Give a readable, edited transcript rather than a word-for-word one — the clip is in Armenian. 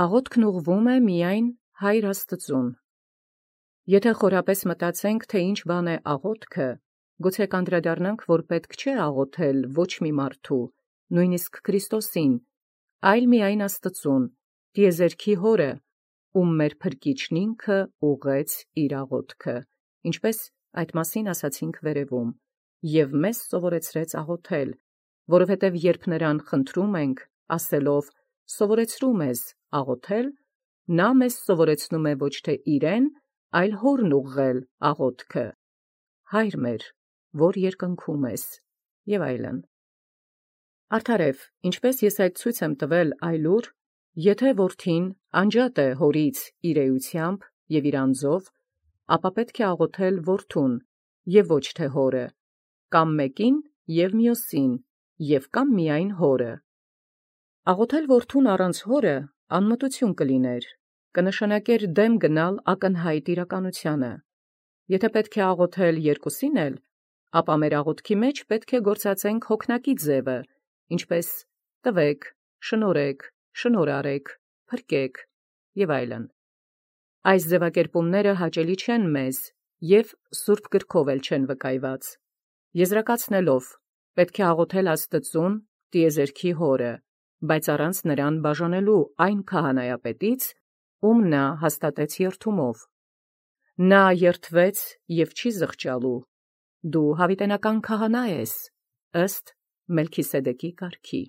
Աղոթքն ուղղվում է միայն Հայր Աստծուն։ Եթե խորապես մտածենք, թե ինչ բան է աղոթքը, գուցե կանդրադառնանք, որ պետք չէ աղոթել ոչ մի մարդու, նույնիսկ Քրիստոսին, այլ միայն Աստծուն, տիեզերքի Հորը, ում մեր Փրկիչն ինքը ուղղեց իր աղոթքը, ինչպես այդ մասին ասացինք վերևում, և մեզ սովորեցրեց աղոթել, որովհետև երբ նրան խնդրում ենք, ասելով. «Սովորեցրու մեզ աղոթել», նա մեզ սովորեցնում է ոչ թե իրեն, այլ Հորն ուղղել աղոթքը. «Հայր մեր, որ երկնքում ես», և այլն։ Արդարև, ինչպես ես այդ ցույց եմ տվել այլուր, եթե որդին անջատ է հորից իր էությամբ և իր անձով, ապա պետք է աղոթել որդուն և ոչ թե հորը, կամ մեկին և մյուսին, և կամ միայն հորը։ Աղոթել որդուն առանց հորը անմտություն կլիներ, կնշանակեր դեմ գնալ ակնհայտ իրականությանը։ Եթե պետք է աղոթել երկուսին էլ, ապա մեր աղոթքի մեջ պետք է գործածենք հոգնակի ձևը, ինչպես տվեք, շնորհեք, շնորհ արեք, փրկեք և այլն։ Այս ձևակերպումները հաճելի չեն մեզ և Սուրբ Գրքով էլ չեն վկայված։ Եզրակացնելով, պետք է աղոթել Աստծուն, տիեզերքի Հորը, բայց առանց նրան բաժանելու այն քահանայապետից, ում նա հաստատեց երդումով։ Նա երդվեց և չի զղջալու. «Դու հավիտենական քահանա ես, ըստ Մելքիսեդեկի կարգի»։